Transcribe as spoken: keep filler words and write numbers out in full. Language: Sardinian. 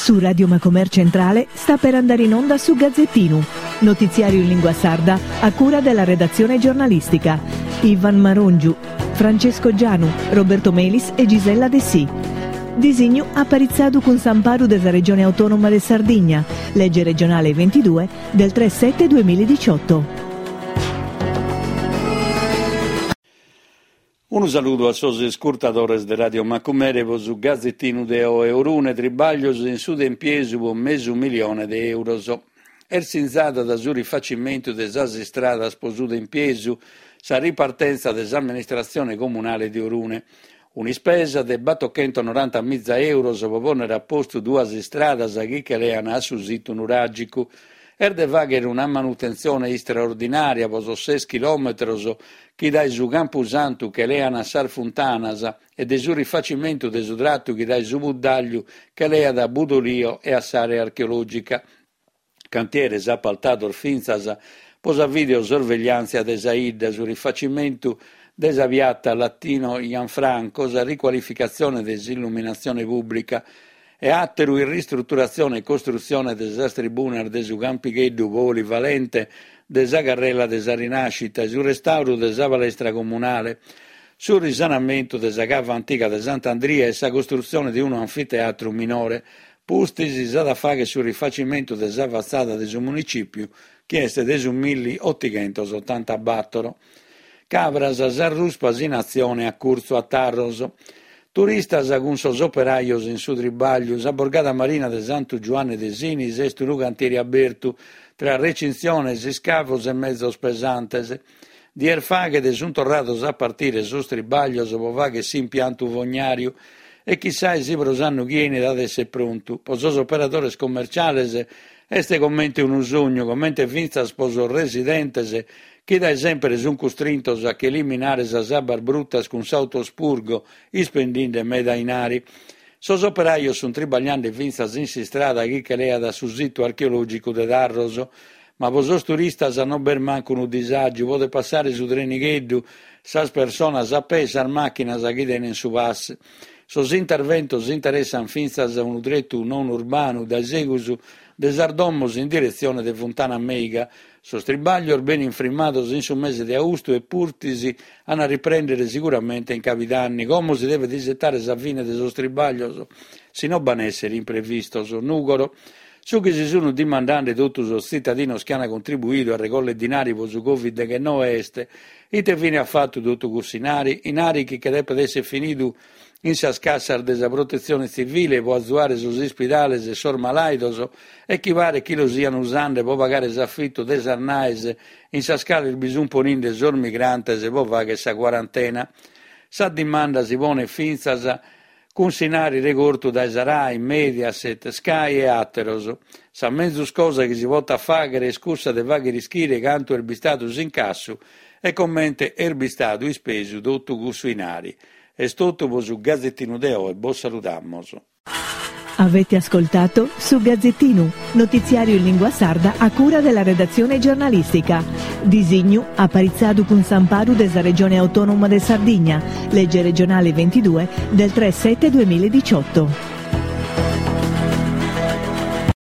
Su Radio Macomer Centrale sta per andare in onda su Gazzettinu, notiziario in lingua sarda a cura della redazione giornalistica. Ivan Marongiu, Francesco Gianu, Roberto Melis e Gisella Dessì. Disignu aparitzadu cun s'amparu de sa Regione Autonoma de Sardigna, legge regionale ventidue del tre sette duemiladiciotto. Unu saludu a sos iscurtadores de Radio Macumere pro su Gazzettinu de oe. Orune tribaglios in su Tempiesu pro mesu milione de euros. Est sinzada da su rifacimentu de sas istradas pro su Tempiesu sa ripartenza de s'amministratzione comunale de Orune. Un'ispesa de battocentonorantamiza euros pro ponnere a postu duas istradas chi che lean a su situ nuragicu. Est de faghere una manutentzione istraordinaria pro sos ses chilometros chi dae su Campusantu che lean a sas Funtanas e de su rifacimentu de su trattu chi dae su Puddagliu che leat a Budolio e a s'area archeologica. Cantieres appaltados fintzas pro sa videosorvegliantzia de sa 'idda, su rifacimentu de sa piatta Latino Gianfranco, sa riqualificatzione de s'illuminatzione pubblica e atteru in ristrutturatzione e costrutzione de sas tribunas de su Campigheddu polivalente de sa Carrela de sa Rinascita e su restauru de sa palestra comunale, su risanamentu de sa cava antiga de Sant'Andria e sa costrutzione de unu anfiteatru minore. Pustis s'at a fagher su rifacimentu de sa fatzada de su municipiu, chi est de su milliottighentosotantabattoro. Cabras, sas ruspas in atzione a curtzu a Tharros. Turistas cun sos operajos in su tribagliu, sa borgada marina de Santu Giuanne de Sinis est unu cantieri abertu tra recintziones, iscavos e mezos pesantes. Dies faghet sunt torrados a partire sos tribaglios pro fagher s'impiantu fognariu e chissai si pro s'annu chi 'enit at esser prontu. Pro sos operadores commerciales est comente unu sognu, comente fintzas pro sos residentes chi dae sempre sunt custrintos a che eliminare sas abbas bruttas cun s'autospurgo, ispendinde meda 'inari. Sos operajos sunt tribagliende fintzas in s'istrada chi che leat a su situ archeologicu de Tharros, ma pro sos turistas non b'est mancu unu disagiu, podet passare su trenigheddu, sas personas a pè e sas macchinas chi tenen su pass. Sos interventos interessan fintzas unu tretu non urbanu dae segus de sas domos in diretzione de Funtana Meiga. Sos tribaglios benin frimmados in su mese de austu e pustis an a riprendere siguramente in Cabidanni. Como si devet isettare sa fine de sos tribaglios, si no b'an essere imprevistos. Nugoro. Su chi si sun dimandende totu sos tzitadinos chi an contribuidu a recoller dinari pro su Covid deghennoe est ite fine at fattu totu cussu 'inari, 'inari chi che depet esser finidu in sas cassas de sa protetzione tzivile pro azuare sos ispidales e sos malaidos e chi paret chi lo sian usande pro pagare s'affittu de sas naes in sas cales bi sun poninde sos migrantes pro fagher sa quarantena. Sa dimanda si ponet fintzas cun s'inari regortu dae sa Rai, Mediaset, Sky e àteros. Sa menzus cosa chi si potat fàghere est cussa de fàghere ischire cantu est bistadu s'incassu e comente est bistadu ispesu totu cussu 'inari. Est totu pro su Gazzettinu de oe, bos saludamos. Avete ascoltato su Gazzettinu, notiziario in lingua sarda a cura della redazione giornalistica. Disignu aparitzadu cun s'amparu de sa Regione Autonoma de Sardigna, legge regionale ventidue del tre sette duemiladiciotto.